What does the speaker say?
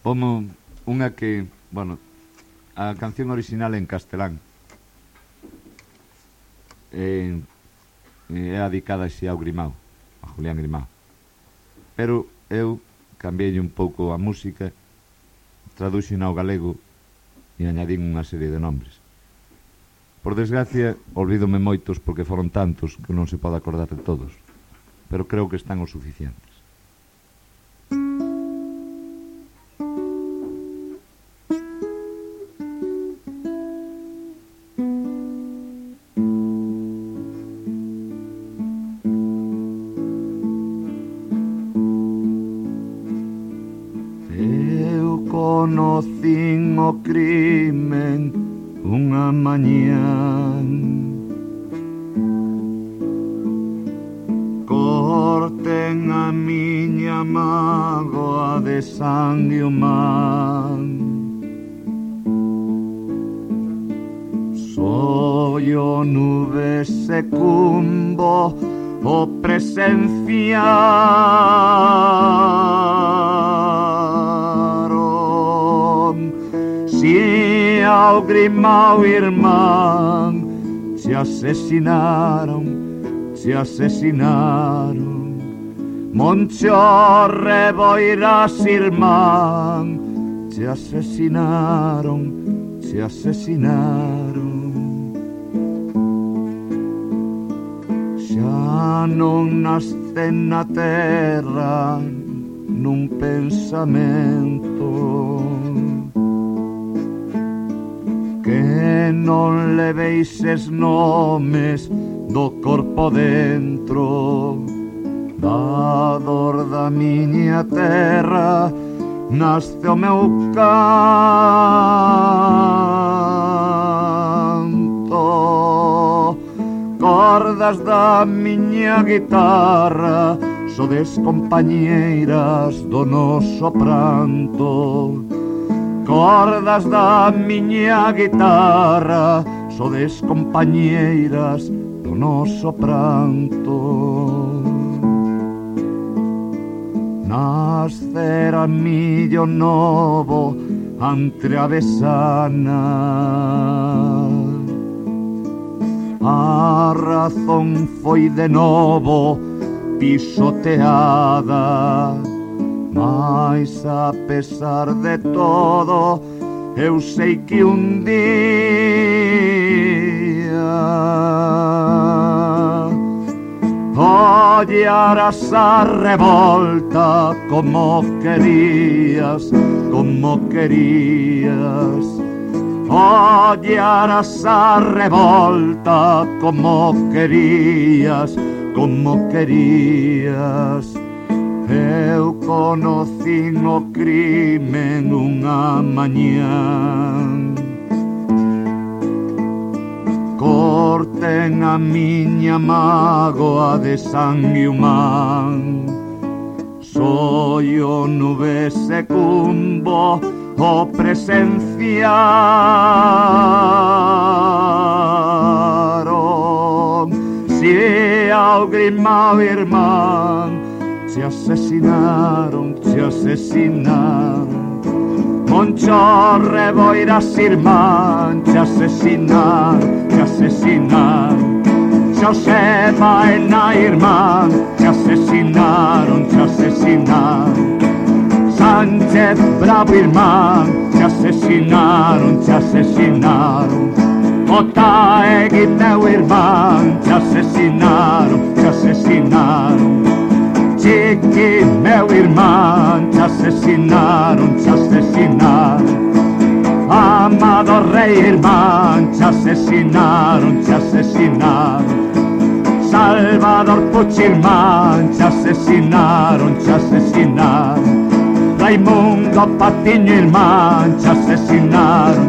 Como unha que, bueno, a canción original en castelán é dedicada a Grimao, a Julián Grimao, pero eu cambiei un pouco a música, traduxen ao galego e añadín unha serie de nombres. Por desgracia, olvídome moitos porque foron tantos que non se pode acordar de todos, pero creo que están o suficientes. Conocín o crimen unha mañán, corten a miña mágoa de sangue humán. Soy o nube secumbo o Si ao Grimao irmán se asesinaron, Moncho Reboiras irmán se asesinaron. Xa non nascen na terra nun pensamento que non leveis es nomes do corpo dentro, da dor da miña terra nasce o meu canto. Cordas da miña guitarra sodes compañeiras do noso pranto. Cordas da miña guitarra sodes compañeiras do noso pranto. Nascera millo novo entre a besana, a razón foi de novo pisoteada. Mas a pesar de todo, eu sei que un día ollarás a revolta como querías. Ollarás a revolta como querías. Eu conocín o crimen unha mañán, corten a miña mágoa de sangue humán. Soy o nube secumbo o presenciaron. Si ao Grimao irmán se asesinaron. Moncho Reboiras irmán se asesinaron. Xosé Baena irmán se asesinaron. Sánchez Bravo irmán se asesinaron. Otaegui meu irmán se asesinaron. Chiqui meu irmán se asesinaron. Amado Rei irmán se asesinaron. Salvador Puig irmán se asesinaron. Raimundo Patiño irmán se asesinaron.